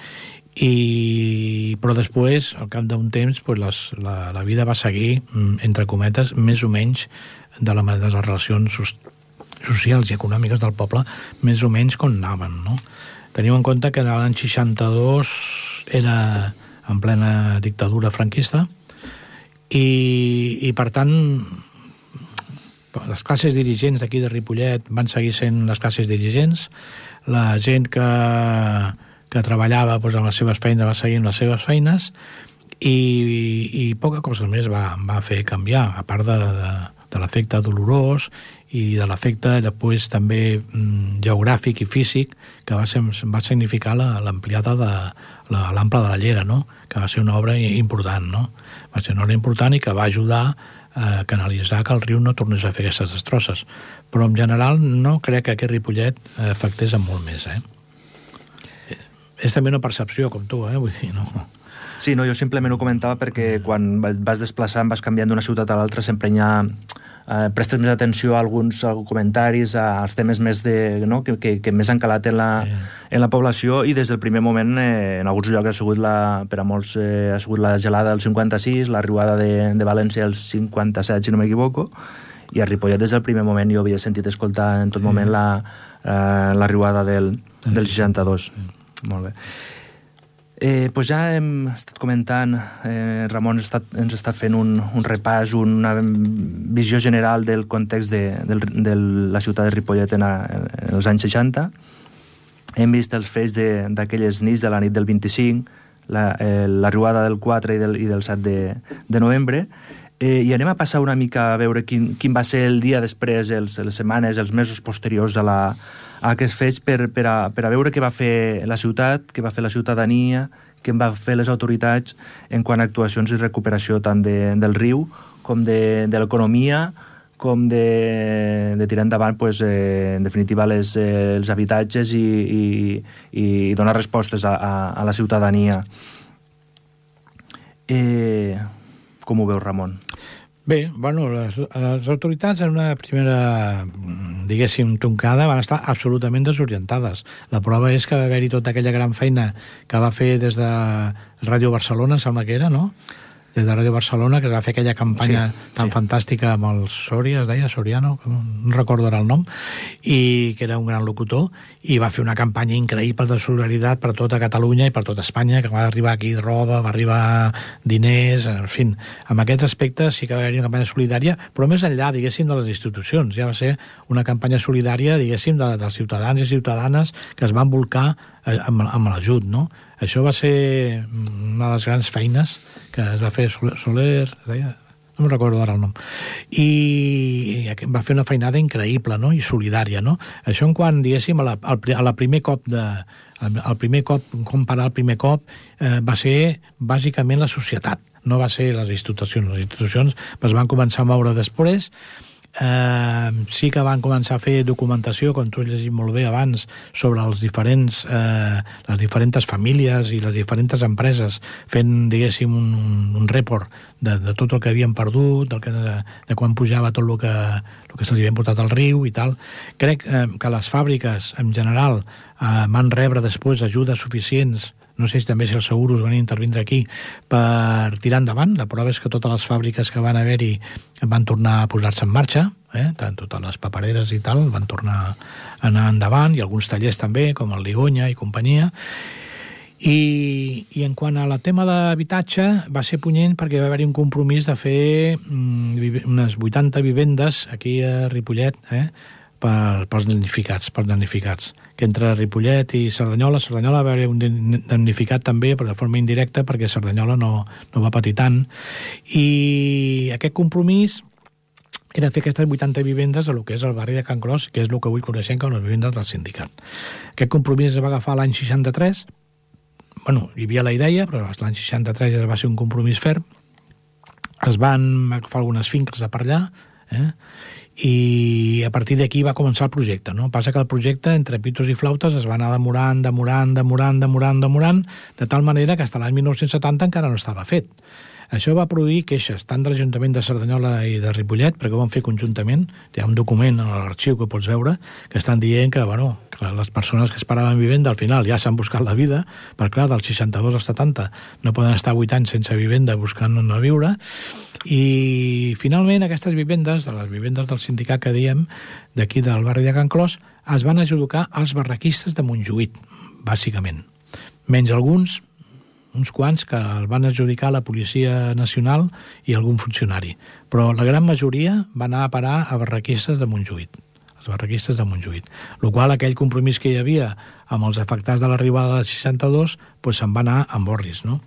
però després, al cap d'un temps, la vida va seguir, entre cometes, més o menys de les relacions socials i econòmiques del poble, més o menys com anaven, no? Teniu en compte que l'any 62 era en plena dictadura franquista i per tant, les classes dirigents d'aquí de Ripollet van seguir sent les classes dirigents, la gent que treballava amb les seves feines va seguir amb les seves feines i poca cosa més va fer canviar, a part de l'efecte dolorós i de l'efecte després també geogràfic i físic que va significar l'ampliada de l'ample de la Llera, no? Que va ser una obra important, no? Va ser una obra important i que va ajudar a canalitzar que el riu no tornés a fer aquestes destrosses. Però en general no crec que aquest Ripollet afectés amb molt més, És també una percepció, com tu, vull dir, no? Sí, no, jo simplement ho comentava perquè quan vas desplaçant, vas canviant d'una ciutat a l'altra, sempre prestes més atenció a alguns comentaris, als temes més que més han calat en la població, i des del primer moment en alguns llocs per a molts ha sigut la gelada del 56, la riuada de València el 57, si no m'equivoco, i a Ripollet des del primer moment jo havia sentit escoltar en tot moment la riuada del 62. Molt bé. Doncs ja hem estat comentant, Ramon ens està fent un repàs, una visió general del context de la ciutat de Ripollet en els anys 60. Hem vist els fets d'aquelles nits de la nit del 25, la riuada del 4 i del 7 de novembre, i anem a passar una mica a veure quin va ser el dia després, les setmanes, els mesos posteriors a aquests fets per a veure què va fer la ciutat, què va fer la ciutadania, què van fer les autoritats en quant a actuacions i recuperació tant del riu com de l'economia, com de tirar endavant, en definitiva, els habitatges i donar respostes a la ciutadania. Com ho veus, Ramon? Bé, bueno, les autoritats en una primera, diguéssim, toncada van estar absolutament desorientades. La prova és que va haver-hi tota aquella gran feina que va fer des de Ràdio Barcelona, sembla que era, no? Des de Ràdio Barcelona, que es va fer aquella campanya tan fantàstica amb el Soria, es deia Soriano, no recordo ara el nom, i que era un gran locutor, i va fer una campanya increïble de solidaritat per tota Catalunya i per tota Espanya, que va arribar aquí roba, va arribar diners, en fi. Amb aquests aspectes sí que va haver una campanya solidària, però més enllà, diguéssim, de les institucions. Ja va ser una campanya solidària, diguéssim, dels ciutadans i ciutadanes que es van volcar amb l'ajut, no? Això va ser una de les grans feines que es va fer Soler, deia, no me'n recordo ara el nom, i va fer una feinada increïble, no? I solidària, no? Això en quant, diguéssim, al primer cop comparar el primer cop va ser bàsicament la societat, no va ser les institucions. Les institucions es van començar a moure després, sí que van començar a fer documentació, com tu has llegit molt bé abans, sobre les diferents famílies i les diferents empreses, fent, diguéssim, un report de tot el que havien perdut, de quan pujava tot el que se'ls havia portat al riu i tal. Crec que les fàbriques, en general, van rebre després ajudes suficients, no sé si també si els seguros van intervindre aquí, per tirar endavant. La prova és que totes les fàbriques que van haver-hi van tornar a posar-se en marxa, tant totes les papereres i tal, van tornar a anar endavant, i alguns tallers també, com el Ligonya i companyia. I en quant a la tema d'habitatge, va ser punyent perquè va haver-hi un compromís de fer unes 80 vivendes aquí a Ripollet, pels damnificats, que entre Ripollet i Cerdanyola va haver un damnificat també, però de forma indirecta, perquè Cerdanyola no va patir tant. I aquest compromís era fer aquestes 80 vivendes a lo que és el barri de Can Clos, que és el que avui coneixem com les vivendes del sindicat. Aquest compromís es va agafar l'any 63, hi havia la idea, però l'any 63 ja va ser un compromís ferm. Es van agafar algunes finques de per allà, i a partir d'aquí va començar el projecte, no? Passa que el projecte, entre pitos i flautes, es va anar demorant, de tal manera que fins a l'any 1970 encara no estava fet. Això va produir queixes tant de l'Ajuntament de Cerdanyola i de Ripollet, perquè ho van fer conjuntament. Hi ha un document a l'arxiu que pots veure que estan dient que les persones que esperaven vivenda al final ja s'han buscat la vida, perquè clar, del 62 al 70 no poden estar 8 anys sense vivenda buscant on viure, i finalment aquestes vivendes, de les vivendes del sindicat que diem, d'aquí del barri de Can Clos, es van adjudicar als barraquistes de Montjuïc, bàsicament. Menys uns quants que el van adjudicar a la Policia Nacional i algun funcionari. Però la gran majoria va anar a parar a barraquistes de Montjuïc, els barraquistes de Montjuïc. El qual aquell compromís que hi havia amb els afectats de l'arribada del 62 se'n va anar amb orris, no?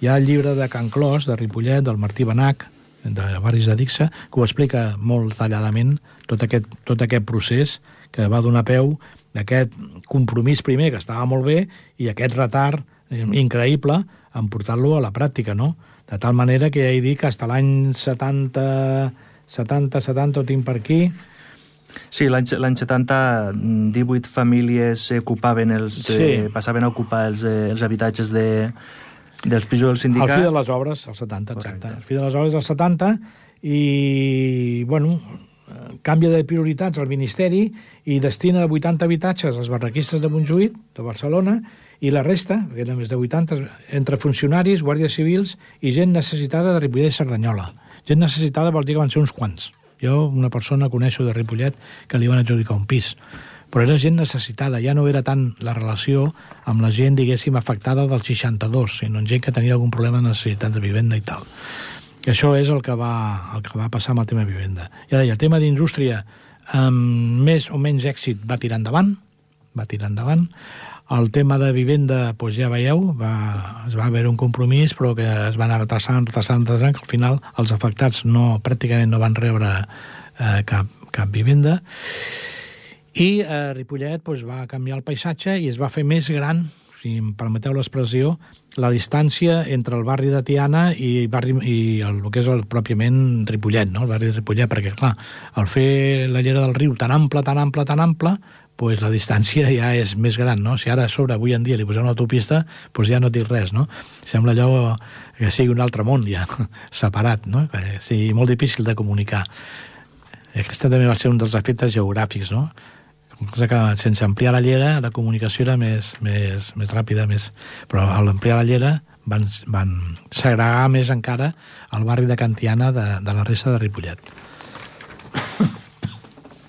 Hi ha el llibre de Can Clos, de Ripollet, del Martí Benach, de Barris de Dixa, que ho explica molt detalladament, tot aquest procés que va donar peu d'aquest compromís primer, que estava molt bé, i aquest retard increïble en portar-lo a la pràctica, no? De tal manera que ja he dit que fins a l'any 70, ho tinc per aquí. Sí, l'any 70, 18 famílies ocupaven passaven a ocupar els habitatges dels pisos del sindicat. Al fi de les obres, el 70, exacte. Al fi de les obres del 70, i, canvia de prioritats al Ministeri i destina 80 habitatges als barraquistes de Montjuïc, de Barcelona, i la resta, que eren més de 80, entre funcionaris, guàrdies civils i gent necessitada de Ripollet i Cerdanyola. Gent necessitada vol dir que van ser uns quants. Jo, una persona coneixo de Ripollet que li van adjudicar un pis. Però era gent necessitada, ja no era tant la relació amb la gent, diguéssim, afectada del 62, sinó gent que tenia algun problema de necessitat de vivenda i tal. I això és el que va passar amb el tema de vivenda. I ara, el tema d'indústria, amb més o menys èxit, va tirar endavant. El tema de vivenda, ja veieu, es va haver un compromís, però que es va anar retrasant, que al final els afectats pràcticament no van rebre cap vivenda. I Ripollet va canviar el paisatge i es va fer més gran, si em permeteu l'expressió, la distància entre el barri de Tiana i el que és pròpiament Ripollet, no? El barri de Ripollet, perquè, clar, al fer la llera del riu tan ampla, la distància ja és més gran, no? Si ara a sobre, avui en dia, li posem una autopista, ja no dic res, no? Sembla allò que sigui un altre món ja, separat, no? Que sigui molt difícil de comunicar. Aquesta també va ser un dels efectes geogràfics, no? Cosa que sense ampliar la llera la comunicació era més ràpida, però al ampliar la llera van segregar més encara el barri de Can Tiana de la resta de Ripollet.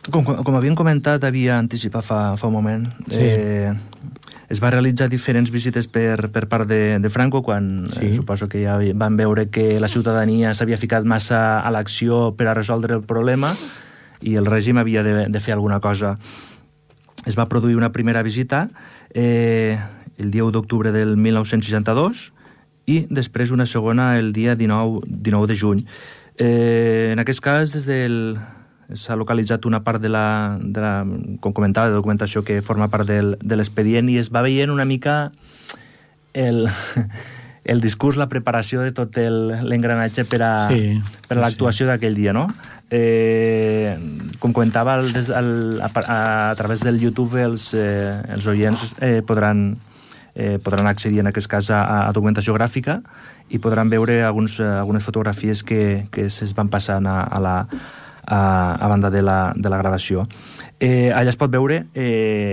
Com havíem comentat, havia anticipat fa un moment, es va realitzar diferents visites per part de Franco, quan suposo que ja van veure que la ciutadania s'havia ficat massa a l'acció per a resoldre el problema i el règim havia de fer alguna cosa. Es va produir una primera visita el dia 1 d'octubre del 1962 i després una segona el dia 19 de juny. En aquest cas, s'ha localitzat una part com comentava, de documentació que forma part de l'expedient i es va veient una mica el discurs, la preparació de tot l'engranatge per a l'actuació d'aquell dia, no? Com comentava, a través del YouTube els oients podran accedir en aquest cas a documentació gràfica i podran veure algunes fotografies que es van passant a banda de la gravació. Allà es pot veure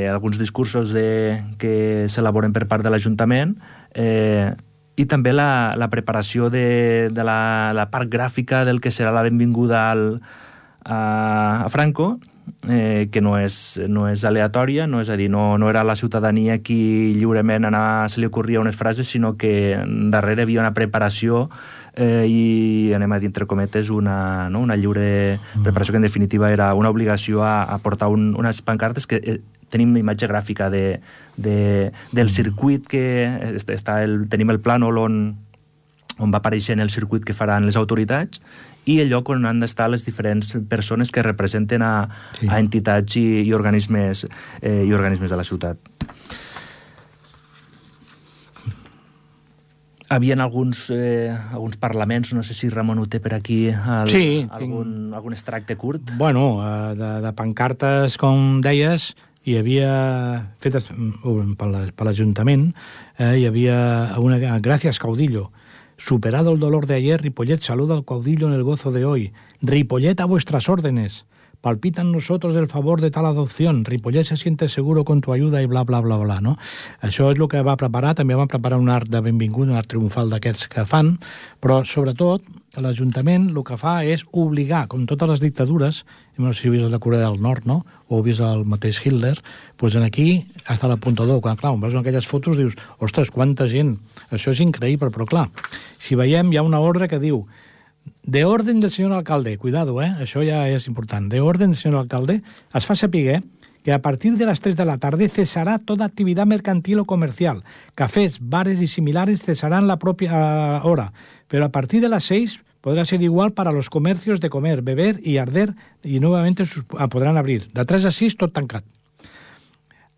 alguns discursos que s'elaboren per part de l'Ajuntament i també la preparació de la part gràfica del que serà la benvinguda a Franco, que no és aleatòria, no és a dir, no era la ciutadania qui lliurement se li ocorria unes frases, sinó que darrere hi havia una preparació i, anem a dir entre cometes, una lliure preparació que en definitiva era una obligació a portar unes pancartes que tenim imatge gràfica del circuit que tenim el plànol on va apareixent el circuit que faran les autoritats i el lloc on han d'estar les diferents persones que representen a entitats i organismes de la ciutat. Havien alguns parlaments, no sé si Ramon ho té per aquí, algun extracte curt? Bueno, de pancartes, com deies, hi havia, fetes per l'Ajuntament, hi havia una «Gracias, caudillo». Superado el dolor de ayer, Ripollet saluda al caudillo en el gozo de hoy. Ripollet a vuestras órdenes. Palpitan nosotros el favor de tal adopción. Ripollet se siente seguro con tu ayuda i bla, bla, bla, bla, no? Això és el que va preparar. També van preparar un art de benvingut, un art triomfal d'aquests que fan, però sobretot l'Ajuntament el que fa és obligar, com totes les dictadures, no sé si heu vist la Corea del Nord, no? O heu vist el mateix Hitler, doncs aquí està l'apuntador. Quan, clar, veus aquelles fotos dius, ostres, quanta gent, això és increïble, però clar, si veiem hi ha una ordre que diu de orden del señor alcalde, cuidado, això ja és important, de orden del señor alcalde, es fa saber que a partir de las 3 de la tarde cesará toda actividad mercantil o comercial. Cafés, bares y similares cesarán la propia hora, pero a partir de las 6 podrá ser igual para los comercios de comer, beber y arder y nuevamente podrán abrir. De 3 a 6 tot tancat.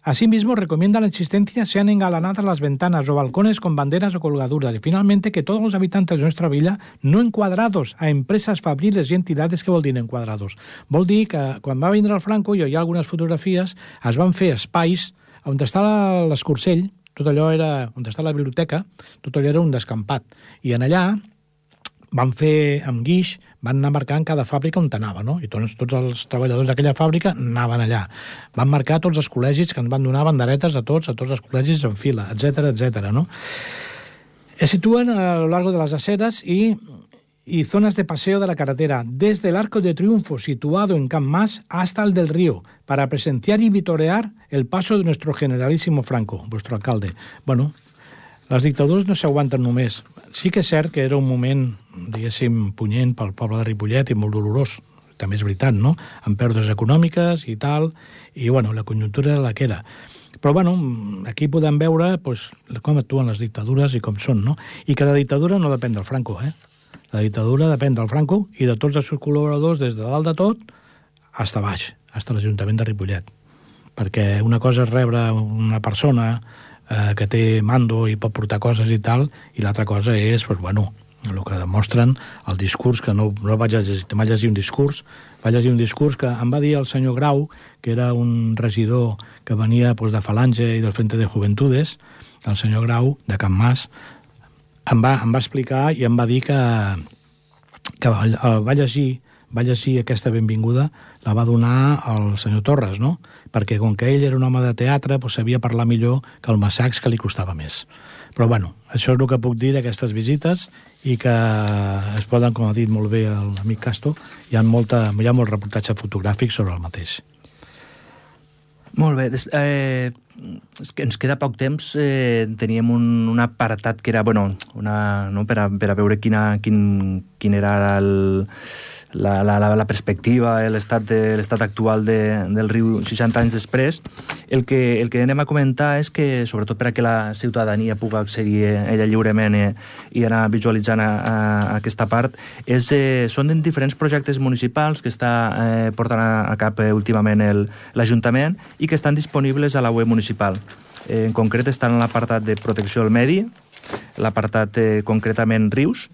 Asimismo, recomienda la existencia sean engalanadas las ventanas o balcones con banderas o colgaduras. Y finalmente, que todos los habitantes de nuestra villa no encuadrados a empresas fabriles i entitats, que vol dir enquadrados? Vol dir que quan va vindre el Franco, i hi ha algunes fotografies, es van fer espais on està l'Escorcell, tot allò era, on està la biblioteca, tot allò era un descampat. I en allà van fer amb guix, van anar marcant cada fàbrica on anava, no? I tots els treballadors d'aquella fàbrica anaven allà. Van marcar tots els col·legis que ens van donar banderetes a tots els col·legis en fila, etc., no? Se sitúan a lo largo de las aceras y zonas de paseo de la carretera, desde el Arco de Triunfo situado en Can Mas hasta el del Río, para presenciar y vitorear el paso de nuestro generalísimo Franco, vuestro alcalde. Bueno, les dictadures no s'aguanten només. Sí que és cert que era un moment, diguéssim, punyent pel poble de Ripollet i molt dolorós, també és veritat, no? Amb pèrdues econòmiques i tal, i, bueno, la conjuntura era la que era. Però, bueno, aquí podem veure pues, com actuen les dictadures i com són, no? I que la dictadura no depèn del Franco, La dictadura depèn del Franco i de tots els seus col·laboradors, des de dalt de tot fins a baix, fins a l'Ajuntament de Ripollet. Perquè una cosa és rebre una persona que té mando i pot portar coses i tal, i l'altra cosa és, pues, bueno, el que demostren el discurs, que no vaig llegir un discurs, vaig llegir un discurs que em va dir el senyor Grau, que era un regidor que venia pues, de Falange i del Frente de Juventudes, el senyor Grau, de Can Mas, em va explicar i em va dir que va llegir aquesta benvinguda, la va donar el senyor Torres, no? Perquè com que ell era un home de teatre, doncs sabia parlar millor que el Massacs, que li costava més. Però, bueno, això és el que puc dir d'aquestes visites i que es poden, com ha dit molt bé l'amic Castro, hi ha molt reportatge fotogràfic sobre el mateix. Molt bé. És que ens queda poc temps. Teníem un apartat que era, bueno, per a veure quin era la perspectiva, l'estat actual del riu 60 anys després. El que anem a comentar és que, sobretot per a que la ciutadania pugui accedir ella lliurement i anar visualitzant aquesta part, són diferents projectes municipals que està portant a cap últimament l'Ajuntament i que estan disponibles a la web municipal. En concret estan en l'apartat de protecció del medi, l'apartat concretament Rius,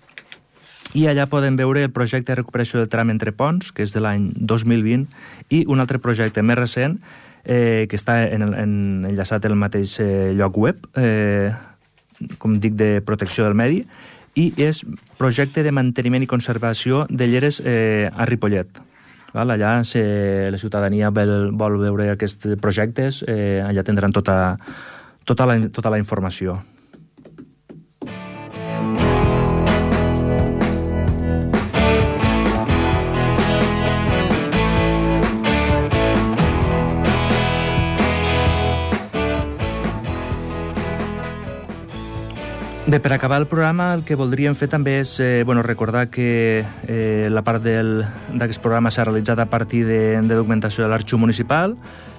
i allà podem veure el projecte de recuperació del tram entre ponts, que és de l'any 2020, i un altre projecte més recent, que està enllaçat en el mateix lloc web, com dic, de protecció del medi, i és projecte de manteniment i conservació de lleres a Ripollet. Allà, si la ciutadania vol veure aquests projectes, allà tindran tota la informació. Bé, per acabar el programa, el que voldríem fer també és recordar que la part d'aquest programa s'ha realitzat a partir de documentació de l'Arxiu Municipal.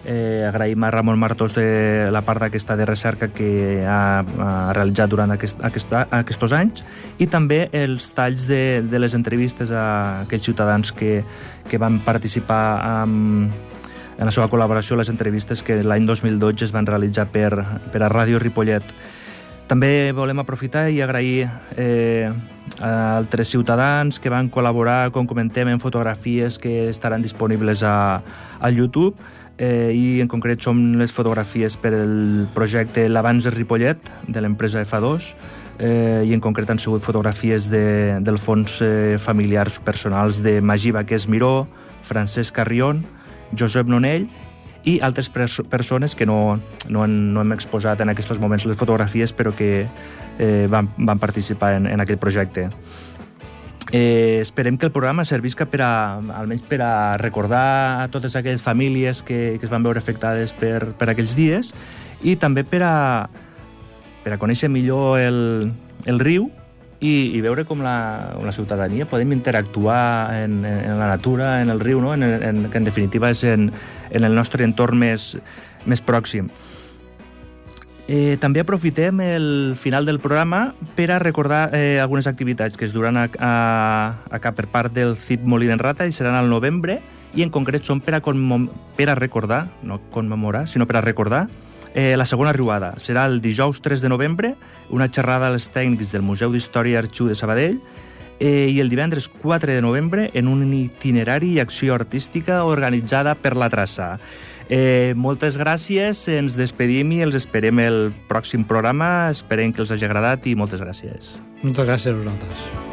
Agraïm a Ramon Martós de la part d'aquesta de recerca que ha realitzat durant aquests anys, i també els talls de les entrevistes a aquells ciutadans que van participar en la seva col·laboració a les entrevistes que l'any 2012 es van realitzar per a Ràdio Ripollet. També volem aprofitar i agrair a altres ciutadans que van col·laborar, com comentem, en fotografies que estaran disponibles al YouTube, i en concret són les fotografies per el projecte l'Abans de Ripollet, de l'empresa F2, i en concret han sigut fotografies del fons familiars personals de Magí Baqués Miró, Francesc Carrion, Josep Nonell, i altres persones que no hem exposat en aquests moments les fotografies, però que van participar en aquest projecte. Esperem que el programa servisca almenys per a recordar a totes aquelles famílies que es van veure afectades per aquells dies, i també per a conèixer millor el riu i veure com la ciutadania podem interactuar en la natura, en el riu, no? Que en definitiva és en el nostre entorn més pròxim. També aprofitem el final del programa per a recordar algunes activitats que es duran a cap per part del CIP Molí d'en Rata i seran al novembre, i en concret són per a recordar, no commemorar, sinó per a recordar la segona riuada. Serà el dijous 3 de novembre, una xerrada als tècnics del Museu d'Història i Arxiu de Sabadell, i el divendres 4 de novembre en un itinerari i acció artística organitzada per la Traça. Moltes gràcies, ens despedim i els esperem el pròxim programa, esperem que els hagi agradat i moltes gràcies. Moltes gràcies a vosaltres.